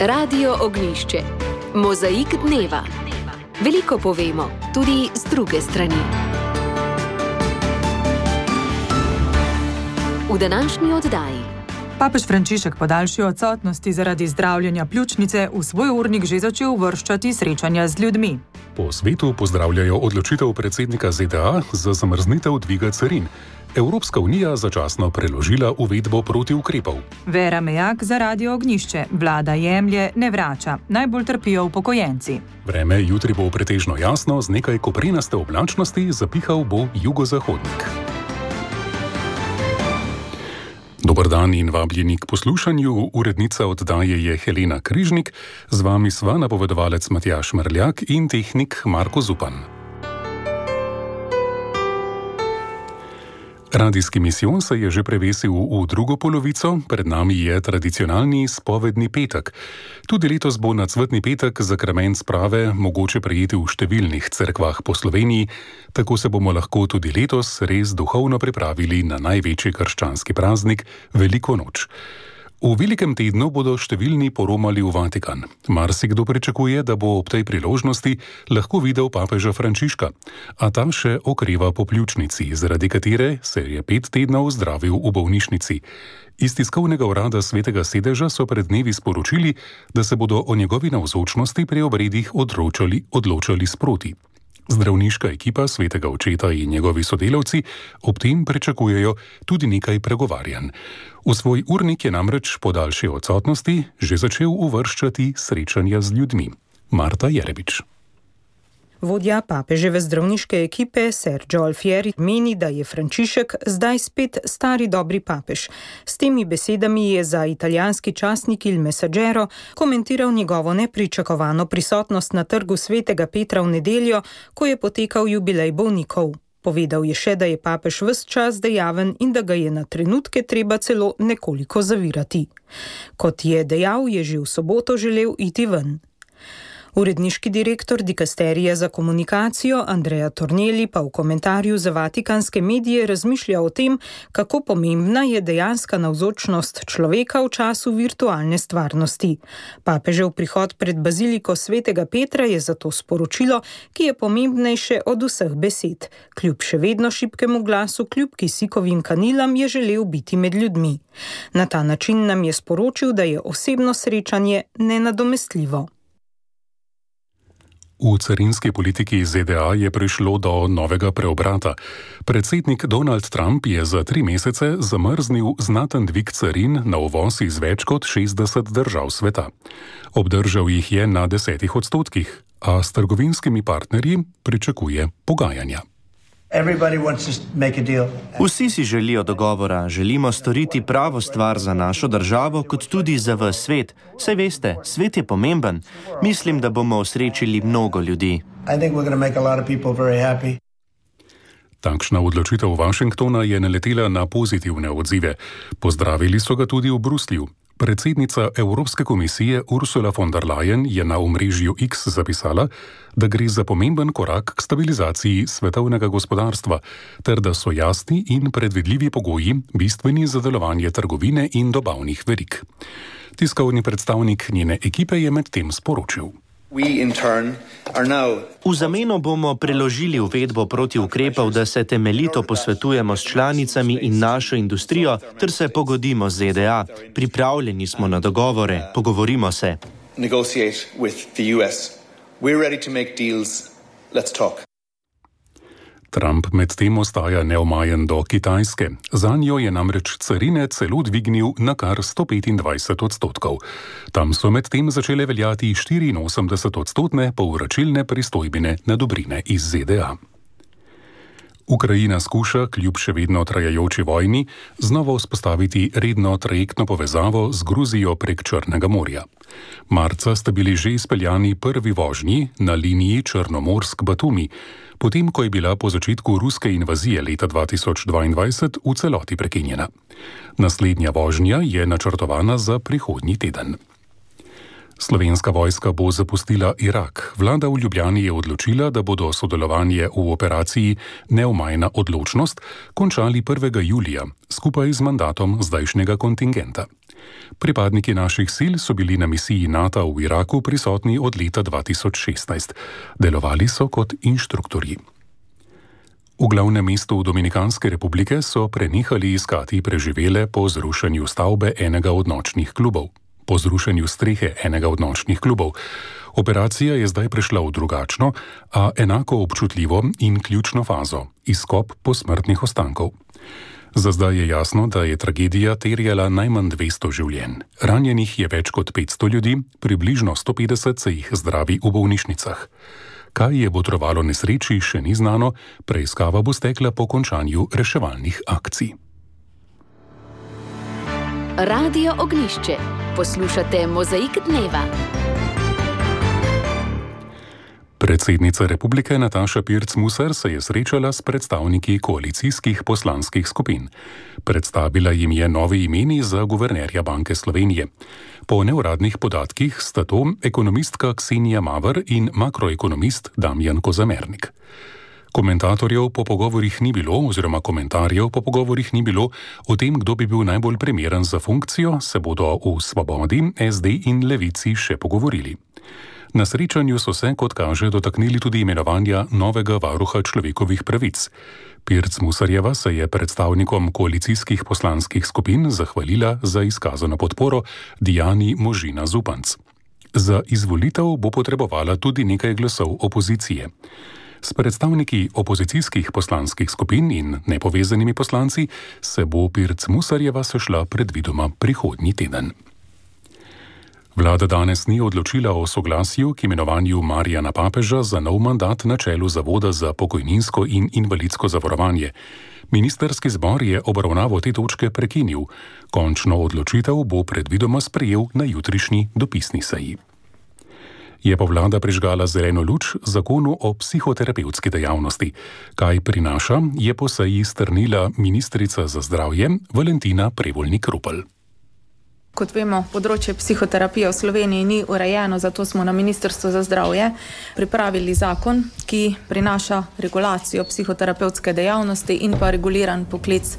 Radio Ognjišče. Mozaik dneva. Veliko povemo, tudi z druge strani. V današnji oddaji. Papež Frančišek po daljši odsotnosti zaradi zdravljenja pljučnice v svoj urnik že začel uvrščati srečanja z ljudmi. Po svetu pozdravljajo odločitev predsednika ZDA za zamrznitev dviga carin. Evropska unija začasno preložila uvedbo protiukrepov. Vera Mejak za Radio Ognjišče. Vlada jemlje, ne vrača. Najbolj trpijo upokojenci. Vreme jutri bo pretežno jasno, z nekaj koprenaste oblačnosti, zapihal bo jugozahodnik. Dober dan in vabljeni k poslušanju. Urednica oddaje je Helena Križnik, z vami sva napovedovalec Matjaž Mrljak in tehnik Marko Zupan. Radijski misijon se je že prevesil v drugo polovico, pred nami je tradicionalni spovedni petek. Tudi letos bo na cvetni petek zakrament sprave mogoče prejeti v številnih cerkvah po Sloveniji, tako se bomo lahko tudi letos res duhovno pripravili na največji krščanski praznik, Veliko noč. V velikem tednu bodo številni poromali v Vatikan. Marsikdo pričakuje, da bo ob tej priložnosti lahko videl papeža Frančiška, a ta še okreva po pljučnici, zaradi katere se je 5 tednov zdravil v bolnišnici. Iz tiskovnega urada Svetega sedeža so pred dnevi sporočili, da se bodo o njegovi navzočnosti pri obredih odločali sproti. Zdravniška ekipa Svetega očeta in njegovi sodelavci ob tem pričakujejo tudi nekaj pregovarjanj. V svoj urnik je namreč po daljši odsotnosti že začel uvrščati srečanja z ljudmi. Marta Jerebič. Vodja papeževe zdravniške ekipe, Ser Alfieri, meni, da je Frančišek zdaj spet stari dobri papež. S temi besedami je za italijanski časnik Il Messaggero komentiral njegovo nepričakovano prisotnost na trgu Svetega Petra v nedeljo, ko je potekal jubilej bolnikov. Povedal je še, da je papež ves čas dejaven in da ga je na trenutke treba celo nekoliko zavirati. Kot je dejal, je že v soboto želel iti ven. Uredniški direktor dikasterija za komunikacijo Andrea Tornelli pa v komentarju za vatikanske medije razmišlja o tem, kako pomembna je dejanska navzočnost človeka v času virtualne stvarnosti. Papežev prihod pred baziliko Svetega Petra je zato sporočilo, ki je pomembnejše od vseh besed. Kljub še vedno šibkemu glasu, kljub kisikovim kanilam je želel biti med ljudmi. Na ta način nam je sporočil, da je osebno srečanje nenadomestljivo. V carinski politiki ZDA je prišlo do novega preobrata. Predsednik Donald Trump je za 3 mesece zamrznil znaten dvig carin na uvoz iz več kot 60 držav sveta. Obdržal jih je na 10%, a s trgovinskimi partnerji pričakuje pogajanja. Vsi si želijo dogovora, želimo storiti pravo stvar za našo državo, kot tudi za ves svet. Saj veste, svet je pomemben. Mislim, da bomo osrečili mnogo ljudi. Takšna odločitev Washingtona je naletela na pozitivne odzive. Pozdravili so ga tudi v Bruslju. Predsednica Evropske komisije Ursula von der Leyen je na omrežju X zapisala, da gre za pomemben korak k stabilizaciji svetovnega gospodarstva, ter da so jasni in predvidljivi pogoji bistveni za delovanje trgovine in dobavnih verig. Tiskovni predstavnik njene ekipe je medtem sporočil. V zameno bomo preložili uvedbo protiukrepov, da se temeljito posvetujemo s članicami in našo industrijo, ter se pogodimo z ZDA. Pripravljeni smo na dogovore, pogovorimo se. Trump medtem ostaja neomajen do Kitajske. Zanjo je namreč carine celo dvignil na kar 125%. Tam so medtem začele veljati 84% povračilne pristojbine na dobrine iz ZDA. Ukrajina skuša, kljub še vedno trajajoči vojni, znova vzpostaviti redno trajektno povezavo z Gruzijo prek Črnega morja. Marca sta bili že izpeljani prvi vožnji na liniji Črnomorsk-Batumi, potem ko je bila po začetku ruske invazije leta 2022 v celoti prekinjena. Naslednja vožnja je načrtovana za prihodnji teden. Slovenska vojska bo zapustila Irak. Vlada v Ljubljani je odločila, da bodo sodelovanje v operaciji Neomajna odločnost končali 1. julija, skupaj z mandatom zdajšnjega kontingenta. Pripadniki naših sil so bili na misiji NATO v Iraku prisotni od leta 2016. Delovali so kot inštruktorji. V glavnem mestu Dominikanske republike so prenehali iskati preživele po zrušenju stavbe enega od nočnih klubov. Po zrušenju strehe enega od nočnih klubov. Operacija je zdaj prešla v drugačno, a enako občutljivo in ključno fazo – izkop posmrtnih ostankov. Za zdaj je jasno, da je tragedija terjala najmanj 200 življenj. Ranjenih je več kot 500 ljudi, približno 150 se jih zdravi v bolnišnicah. Kaj je botrovalo nesreči, še ni znano, preiskava bo stekla po končanju reševalnih akcij. Radio Ognjišče. Poslušate Mozaik dneva. Predsednica republike Nataša Pirc Musar se je srečala s predstavniki koalicijskih poslanskih skupin. Predstavila jim je novi imeni za guvernerja Banke Slovenije. Po neuradnih podatkih sta to ekonomistka Ksenija Mavr in makroekonomist Damjan Kozamernik. Komentarjev po pogovorih ni bilo o tem, kdo bi bil najbolj primeren za funkcijo, se bodo v Svobodi, SD in Levici še pogovorili. Na srečanju so se, kot kaže, dotaknili tudi imenovanja novega varuha človekovih pravic. Pirc Musarjeva se je predstavnikom koalicijskih poslanskih skupin zahvalila za izkazano podporo Dijani Možina Zupanc. Za izvolitev bo potrebovala tudi nekaj glasov opozicije. S predstavniki opozicijskih poslanskih skupin in nepovezanimi poslanci se bo Pirc Musarjeva sešla predvidoma prihodnji teden. Vlada danes ni odločila o soglasju k imenovanju Marijana Papeža za nov mandat na čelu Zavoda za pokojninsko in invalidsko zavarovanje. Ministerski zbor je obravnavo te točke prekinil. Končno odločitev bo predvidoma sprejel na jutrišnji dopisni seji. Je pa vlada prižgala zeleno luč zakonu o psihoterapevtski dejavnosti. Kaj prinaša, je po seji strnila ministrica za zdravje Valentina Prevolnik Rupel. Kot vemo, področje psihoterapije v Sloveniji ni urejeno, zato smo na Ministrstvu za zdravje pripravili zakon, ki prinaša regulacijo psihoterapevtske dejavnosti in pa reguliran poklic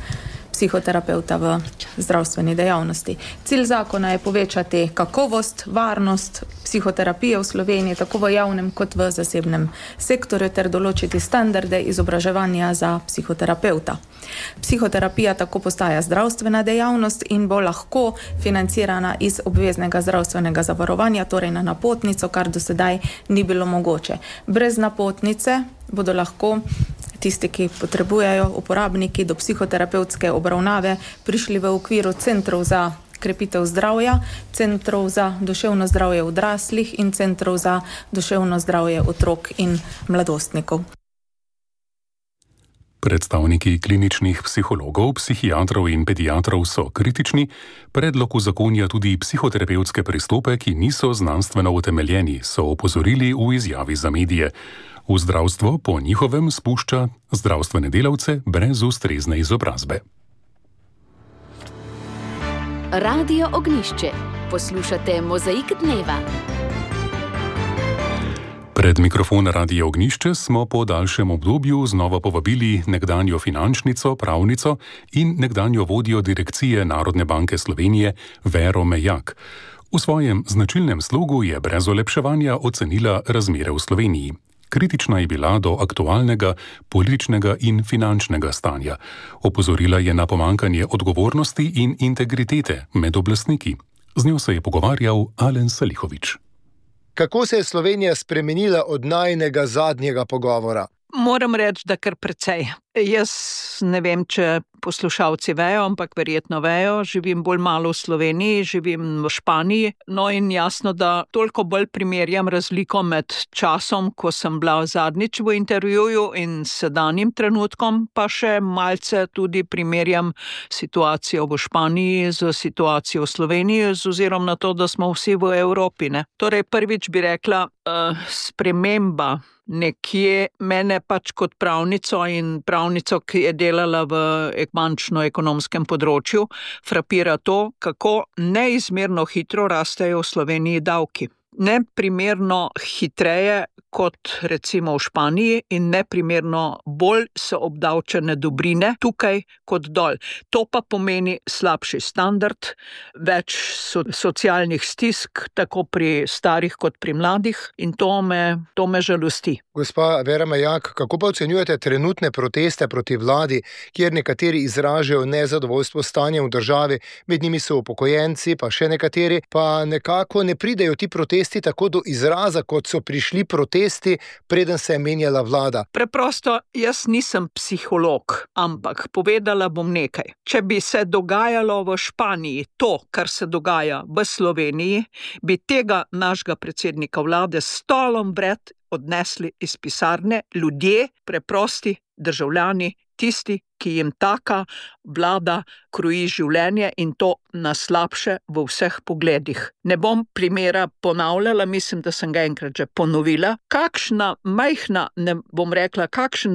psihoterapevta v zdravstveni dejavnosti. Cilj zakona je povečati kakovost, varnost psihoterapije v Sloveniji, tako v javnem kot v zasebnem sektorju, ter določiti standarde izobraževanja za psihoterapevta. Psihoterapija tako postaja zdravstvena dejavnost in bo lahko financirana iz obveznega zdravstvenega zavarovanja, torej na napotnico, kar do sedaj ni bilo mogoče. Brez napotnice bodo lahko tisti, ki potrebujejo, uporabniki do psihoterapevtske obravnave, prišli v okviru centrov za krepitev zdravja, centrov za duševno zdravje odraslih in centrov za duševno zdravje otrok in mladostnikov. Predstavniki kliničnih psihologov, psihiatrov in pediatrov so kritični, predlog uzakonja tudi psihoterapevtske pristope, ki niso znanstveno utemeljeni, so opozorili v izjavi za medije. V zdravstvo po njihovem spušča zdravstvene delavce brez ustrezne izobrazbe. Radio Ognjišče. Poslušate Mozaik dneva. Pred mikrofon Radia Ognjišče smo po daljšem obdobju znova povabili nekdanjo finančnico, pravnico in nekdanjo vodjo direkcije Narodne banke Slovenije Vero Mejak. V svojem značilnem slogu je brez olepševanja ocenila razmere v Sloveniji. Kritična je bila do aktualnega političnega in finančnega stanja. Opozorila je na pomanjkanje odgovornosti in integritete med oblastniki. Z njo se je pogovarjal Alen Salihović. Kako se je Slovenija spremenila od najinega zadnjega pogovora? Moram reči, da kar precej. Jaz ne vem, če poslušalci vejo, ampak verjetno vejo, živim bolj malo v Sloveniji, živim v Španiji, no in jasno, da toliko bolj primerjam razliko med časom, ko sem bila zadnjič v intervjuju in sedanjim trenutkom, pa še malce tudi primerjam situacijo v Španiji z situacijo v Sloveniji, z ozirom na to, da smo vsi v Evropi, ne. Torej, prvič bi rekla, sprememba nekje mene pač kot pravnico in pravnico, ki je delala v bančno-ekonomskem področju, frapira to, kako neizmerno hitro rastejo v Sloveniji davki. neprimerno hitreje kot recimo v Španiji in neprimerno bolj so obdavčene dobrine tukaj kot dol. To pa pomeni slabši standard, več socialnih stisk, tako pri starih kot pri mladih in to me žalosti. Gospa Vera Majak, kako pa ocenjujete trenutne proteste proti vladi, kjer nekateri izražajo nezadovoljstvo s stanjem v državi, med njimi so upokojenci, pa še nekateri, pa nekako ne pridejo ti protesti tako do izraza, kot so prišli protesti, preden se je menjala vlada? Preprosto, jaz nisem psiholog, ampak povedala bom nekaj. Če bi se dogajalo v Španiji to, kar se dogaja v Sloveniji, bi tega našega predsednika vlade s stolom vred odnesli iz pisarne ljudje, preprosti državljani, tisti, ki jim taka vlada kroji življenje in to na slabše v vseh pogledih. Ne bom primera ponavljala, mislim, da sem ga enkrat že ponovila. Kakšen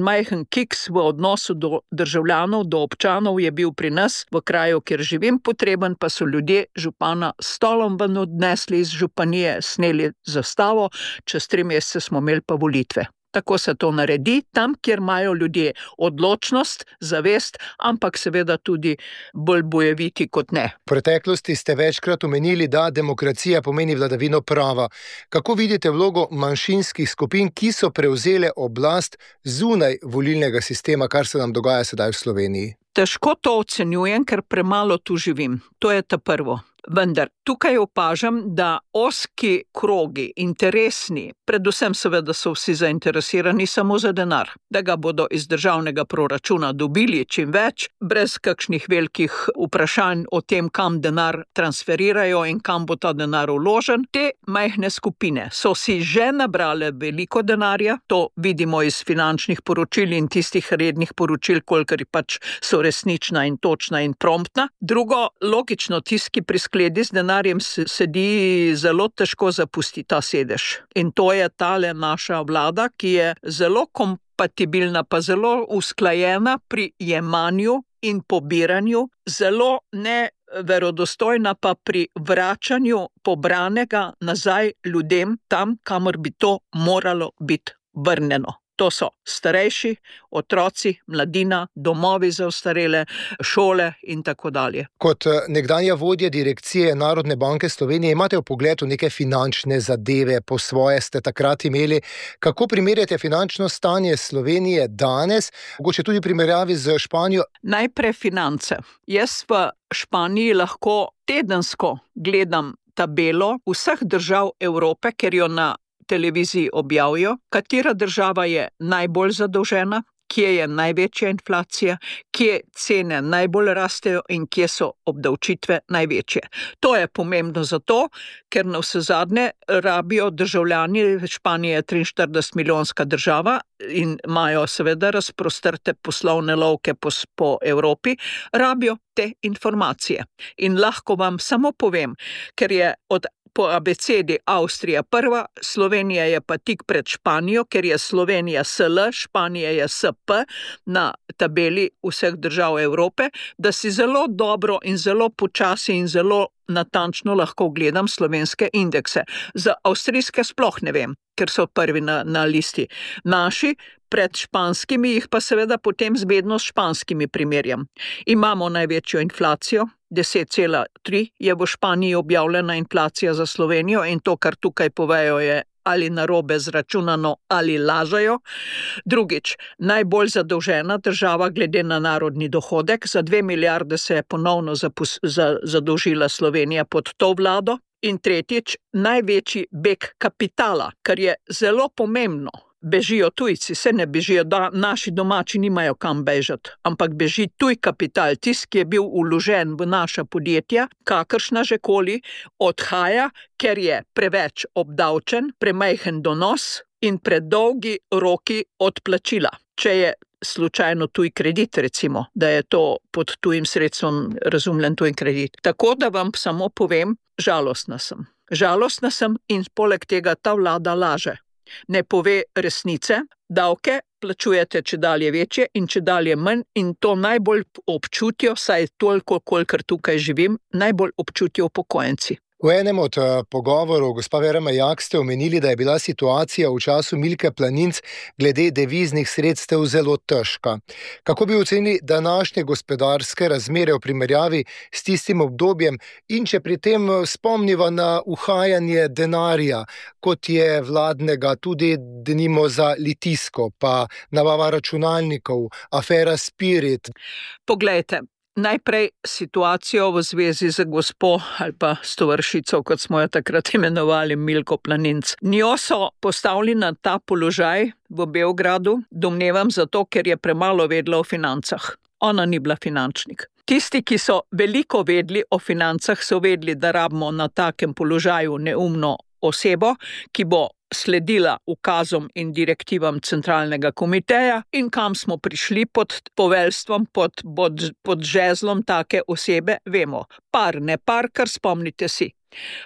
majhen kiks v odnosu do državljanov, do občanov je bil pri nas v kraju, kjer živim, potreben pa so ljudje župana s stolom ven odnesli iz županije, sneli zastavo, čez 3 mesece smo imeli pa volitve. Tako se to naredi, tam, kjer imajo ljudje odločnost, zavest, ampak seveda tudi bolj bojeviti kot ne. V preteklosti ste večkrat omenili, da demokracija pomeni vladavino prava. Kako vidite vlogo manjšinskih skupin, ki so prevzele oblast zunaj volilnega sistema, kar se nam dogaja sedaj v Sloveniji? Težko to ocenjujem, ker premalo tu živim. To je ta prvo. Vendar tukaj opažam, da ozki krogi, interesni, predvsem seveda so vsi zainteresirani samo za denar, da ga bodo iz državnega proračuna dobili čim več, brez kakšnih velikih vprašanj o tem, kam denar transferirajo in kam bo ta denar vložen. Te majhne skupine so si že nabrale veliko denarja, to vidimo iz finančnih poročil in tistih rednih poročil, kolikor pač so resnična in točna in promptna. Drugo, logično, tisti, ki skledi z denarjem sedi, zelo težko zapusti ta sedež. In to je tale naša vlada, ki je zelo kompatibilna, pa zelo usklajena pri jemanju in pobiranju, zelo neverodostojna pa pri vračanju pobranega nazaj ljudem tam, kamor bi to moralo biti vrnjeno. To so starejši, otroci, mladina, domovi za ostarele, šole in tako dalje. Kot nekdanja vodja direkcije Narodne banke Slovenije imate vpogled v neke finančne zadeve, po svoje ste takrat imeli. Kako primerjate finančno stanje Slovenije danes, mogoče tudi primerjavi z Španijo? Najprej finance. Jaz v Španiji lahko tedensko gledam tabelo vseh držav Evrope, ker jo na televiziji objavijo, katera država je najbolj zadolžena, kje je največja inflacija, kje cene najbolj rastejo in kje so obdavčitve največje. To je pomembno zato, ker navsezadnje rabijo državljani, Španija je 43 milijonska država in imajo seveda razprostrte poslovne lovke po Evropi, rabijo te informacije. In lahko vam samo povem, ker je po abecedi Avstrija prva, Slovenija je pa tik pred Španijo, ker je Slovenija SL, Španija je SP na tabeli vseh držav Evrope, da si zelo dobro in zelo počasi in zelo natančno lahko gledam slovenske indekse. Za avstrijske sploh ne vem, ker so prvi na listi. Naši pred španskimi jih pa seveda potem vedno s španskimi primerjam. Imamo največjo inflacijo, 10,3 je v Španiji objavljena inflacija za Slovenijo in to, kar tukaj povejo, je ali narobe zračunano ali lažejo. Drugič, najbolj zadolžena država glede na narodni dohodek, za 2 milijarde se je ponovno zadolžila Slovenija pod to vlado. In tretjič, največji beg kapitala, kar je zelo pomembno. Bežijo tujci, se ne bežijo, da naši domači nimajo kam bežati, ampak beži tuj kapital, tisti, ki je bil vložen v naša podjetja, kakršna že koli, odhaja, ker je preveč obdavčen, premajhen donos in predolgi roki odplačila. Če je slučajno tuj kredit, recimo, da je to pod tujim sredstvom razumljen tuj kredit. Tako da vam samo povem, žalostna sem. Žalostna sem in poleg tega ta vlada laže. Ne pove resnice, davke plačujete čedalje večje in čedalje manj in to najbolj občutijo, saj toliko, kolikor tukaj živim, najbolj občutijo upokojenci. V enem od pogovorov, gospa Vera Majak, ste omenili, da je bila situacija v času Milke Planinc glede deviznih sredstev zelo težka. Kako bi ocenili današnje gospodarske razmere v primerjavi s tistim obdobjem in če pri tem spomniva na uhajanje denarja, kot je vladnega, tudi denimo za Litijsko, pa nabava računalnikov, afera Spirit? Poglejte. Najprej situacijo v zvezi z gospo ali pa s tovršico, kot smo jo takrat imenovali, Milko Planinc. Njo so postavili na ta položaj v Beogradu, domnevam zato, ker je premalo vedela o financah. Ona ni bila finančnik. Tisti, ki so veliko vedeli o financah, so vedeli, da rabimo na takem položaju neumno osebo, ki bo sledila ukazom in direktivam centralnega komiteja in kam smo prišli pod poveljstvom, pod žezlom take osebe, vemo. Par, ne par, kar spomnite si.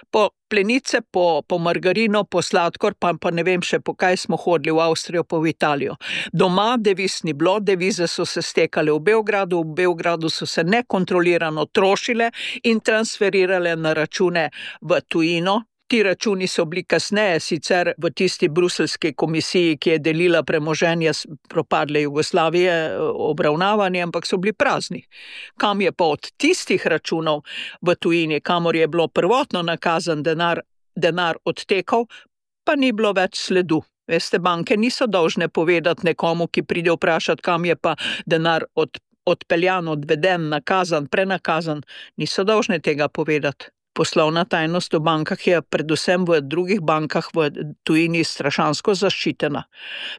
Po plenice, po margarino, po sladkor, pa ne vem še po kaj smo hodili v Avstrijo, pa v Italijo. Doma deviz ni bilo, devize so se stekale v Beogradu so se nekontrolirano trošile in transferirale na račune v tujino. Ti računi so bili kasneje sicer v tisti bruselski komisiji, ki je delila premoženje propadle Jugoslavije, obravnavani, ampak so bili prazni. Kam je pa od tistih računov v tujini, kamor je bilo prvotno nakazan denar odtekal, pa ni bilo več sledu. Veste, banke niso dolžne povedati nekomu, ki pride vprašati, kam je pa denar odpeljan, odveden, nakazan, prenakazan. Niso dolžne tega povedati. Poslovna tajnost v bankah je predvsem v drugih bankah v tujini strašansko zaščitena.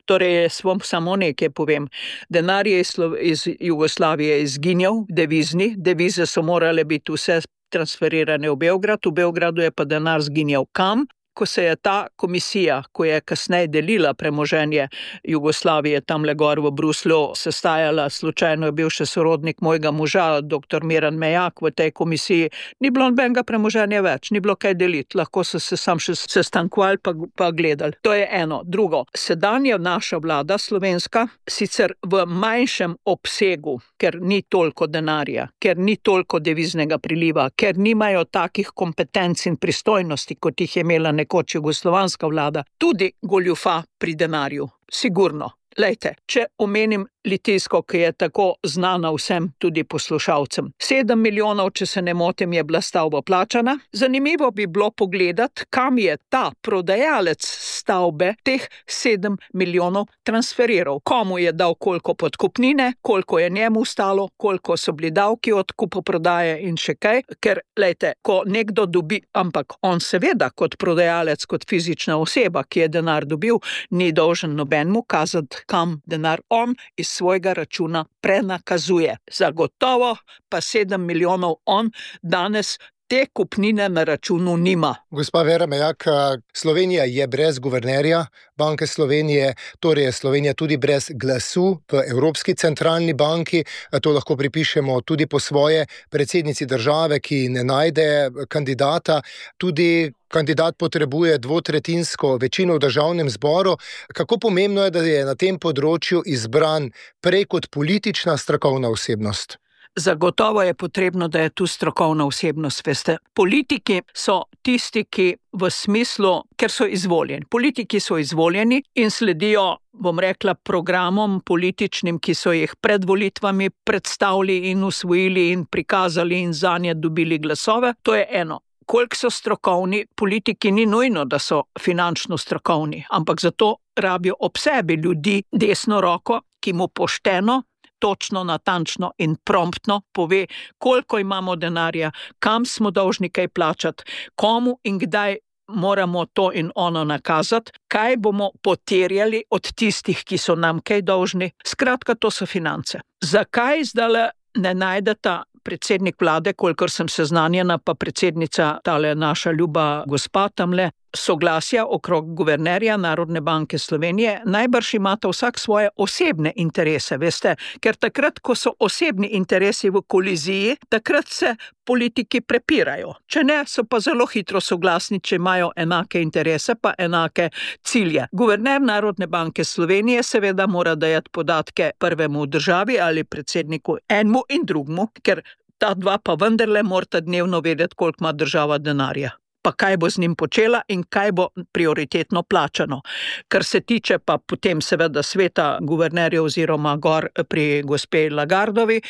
Torej, samo nekaj povem. Denar je iz Jugoslavije izginjal, devize so morale biti vse transferirane v Beograd, v Beogradu je pa denar zginjal kam? Ko se je ta komisija, ko je kasneje delila premoženje Jugoslavije tamle gor v Bruslju, sestajala, slučajno je bil še sorodnik mojega moža, dr. Miran Majak v tej komisiji, ni bilo nobenega premoženja več, ni bilo kaj deliti, lahko so se sam še sestankovali pa gledali. To je eno. Drugo, sedanja naša vlada slovenska, sicer v manjšem obsegu, ker ni toliko denarja, ker ni toliko deviznega priliva, ker nimajo takih kompetenc in pristojnosti, kot jih je imela nekoč jugoslovanska vlada, tudi goljufa pri denarju, sigurno. Lejte, če omenim Litijsko, ki je tako znana vsem, tudi poslušalcem. 7 milijonov, če se ne motim, je bila stavba plačana. Zanimivo bi bilo pogledati, kam je ta prodajalec stavbe teh 7 milijonov transferiral. Komu je dal koliko podkupnine, koliko je njemu stalo, koliko so bili davki od kupoprodaje in še kaj. Ker, lejte, ko nekdo dobi, ampak on seveda kot prodajalec, kot fizična oseba, ki je denar dobil, ni dolžen nobenemu kazati, kam denar on iz svojega računa prenakazuje. Zagotovo pa 7 milijonov on danes te kupnine na računu nima. Gospa Vera Majak, Slovenija je brez guvernerja Banke Slovenije, torej je Slovenija tudi brez glasu v Evropski centralni banki. To lahko pripišemo tudi po svoje predsednici države, ki ne najde kandidata. Tudi kandidat potrebuje dvotretjinsko večino v državnem zboru. Kako pomembno je, da je na tem področju izbran prej kot politična strokovna osebnost? Zagotovo je potrebno, da je tu strokovna osebnost, veste. Politiki so tisti, ki v smislu, ker so izvoljeni. Politiki so izvoljeni in sledijo, bom rekla, programom političnim, ki so jih pred volitvami predstavili in usvojili in prikazali in zanje dobili glasove. To je eno. Koliko so strokovni, politiki ni nujno, da so finančno strokovni, ampak zato rabijo ob sebi ljudi desno roko, ki mu pošteno, točno, natančno in promptno pove, koliko imamo denarja, kam smo dolžni kaj plačati, komu in kdaj moramo to in ono nakazati, kaj bomo poterjali od tistih, ki so nam kaj dolžni. Skratka, to so finance. Zakaj zdaj ne najdeta predsednik vlade, kolikor sem seznanjena, pa predsednica, tale naša ljuba gospa tamle, soglasja okrog guvernerja Narodne banke Slovenije? Najbrž imata vsak svoje osebne interese, veste, ker takrat, ko so osebni interesi v koliziji, takrat se politiki prepirajo. Če ne, so pa zelo hitro soglasni, če imajo enake interese, pa enake cilje. Guverner Narodne banke Slovenije seveda mora dajati podatke prvemu v državi ali predsedniku enemu in drugemu, ker ta dva pa vendarle morata dnevno vedeti, koliko ima država denarja. pa kaj bo z njim počela in kaj bo prioritetno plačano. Kar se tiče pa potem seveda sveta guvernerjev oziroma gor pri gospe Lagardovi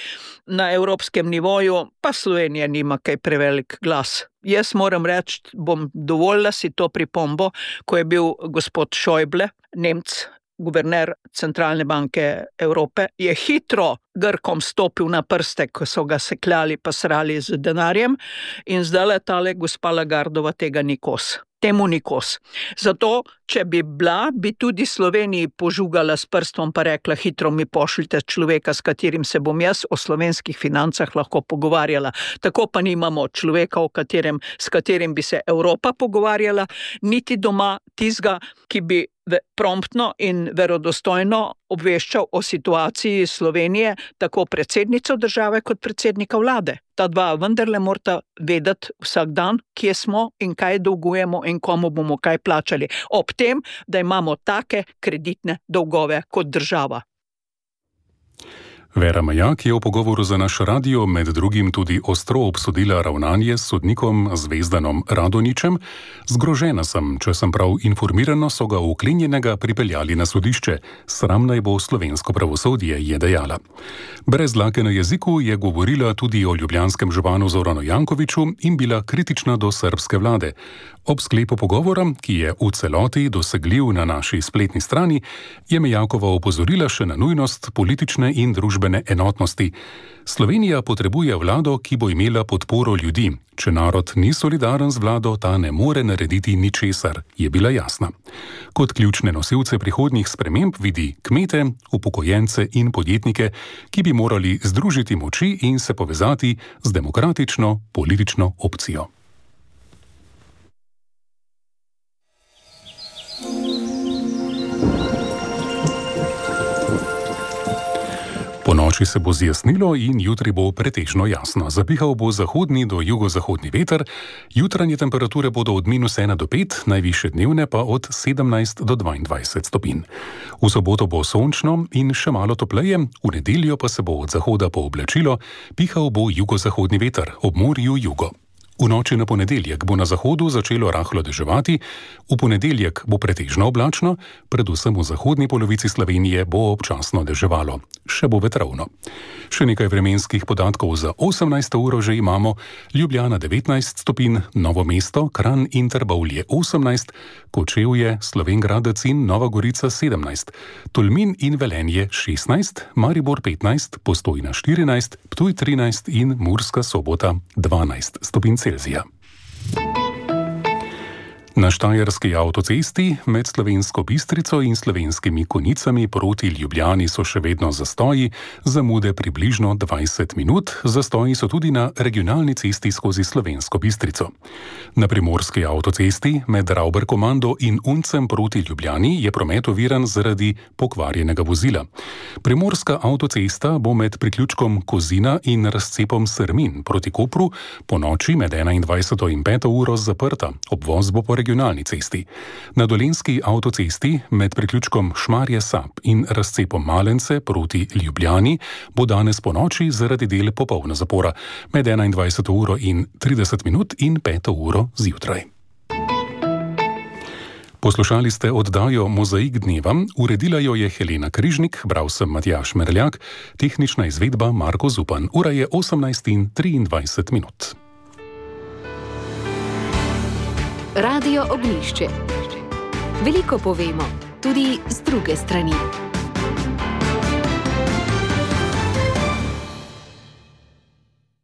na evropskem nivoju, pa Slovenija nima kaj prevelik glas. Jaz moram reči, bom dovolila si to pripombo, ko je bil gospod Schäuble, Nemc, guverner Centralne banke Evrope, je hitro Grkom stopil na prste, ko so ga sekljali pa srali z denarjem in zdaj tale gospa Lagardova tega ni kos. Temu ni kos. Zato, če bi bila, bi tudi Sloveniji požugala s prstom pa rekla, hitro mi pošljite človeka, s katerim se bom jaz o slovenskih financah lahko pogovarjala. Tako pa nimamo človeka, s katerim bi se Evropa pogovarjala, niti doma tizga, ki bi promptno in verodostojno obveščal o situaciji Slovenije, tako predsednico države kot predsednika vlade. Ta dva vendarle morata vedeti vsak dan, kje smo in kaj dolgujemo in komu bomo kaj plačali. Ob tem, da imamo take kreditne dolgove kot država. Vera Majak je v pogovoru za naš radio med drugim tudi ostro obsodila ravnanje s sodnikom Zvezdanom Radonjićem. Zgrožena sem, če sem prav informirana, so ga uklenjenega pripeljali na sodišče. Sram naj bo slovensko pravosodje, je dejala. Brez dlake na jeziku je govorila tudi o ljubljanskem županu Zoranu Jankoviću in bila kritična do srbske vlade. Ob sklepu pogovora, ki je v celoti dosegljiv na naši spletni strani, je Majakova opozorila še na nujnost politične in družbene enotnosti. Slovenija potrebuje vlado, ki bo imela podporo ljudi. Če narod ni solidaren z vlado, ta ne more narediti ničesar, je bila jasna. Kot ključne nosilce prihodnjih sprememb vidi kmete, upokojence in podjetnike, ki bi morali združiti moči in se povezati z demokratično politično opcijo. Po noči se bo zjasnilo in jutri bo pretežno jasno. Zapihal bo zahodni do jugozahodni veter, jutranje temperature bodo od -1 do 5, najvišje dnevne pa od 17 do 22 stopinj. V soboto bo sončno in še malo topleje, v nedeljo pa se bo od zahoda pooblačilo, pihal bo jugozahodni veter, ob morju jugo. V noči na ponedeljek bo na zahodu začelo rahlo deževati, v ponedeljek bo pretežno oblačno, predvsem v zahodni polovici Slovenije bo občasno deževalo. Še bo vetrovno. Še nekaj vremenskih podatkov za 18. uro že imamo. Ljubljana 19 stopinj, Novo mesto, Kranj in Trbovlje 18, Kočevje, Slovenj Gradec in Nova Gorica 17, Tolmin in Velenje 16, Maribor 15, Postojna 14, Ptuj 13 in Murska Sobota 12 stopinj Celzija. Na štajerski avtocesti med Slovensko Bistrico in Slovenskimi Konjicami proti Ljubljani so še vedno zastoji, zamude približno 20 minut, zastoji so tudi na regionalni cesti skozi Slovensko Bistrico. Na primorski avtocesti med Rauberkomando in Uncem proti Ljubljani je promet oviran zaradi pokvarjenega vozila. Primorska avtocesta bo med priključkom Kozina in razcepom Srmin proti Kopru po noči med 21. in 5. uro zaprta, obvoz bo po regionalni cesti. Na dolenjski avtocesti med priključkom Šmarje Sap in razcepom Malence proti Ljubljani bo danes po noči zaradi del popolna zapora med 21. uro in 30 minut in 5. uro zjutraj. Poslušali ste oddajo Mozaik dneva, uredila jo je Helena Križnik, bral sem Matjaž Merljak, tehnična izvedba Marko Zupan. Ura je 18:23 minut. Radio Ognjišče. Veliko povemo, tudi z druge strani.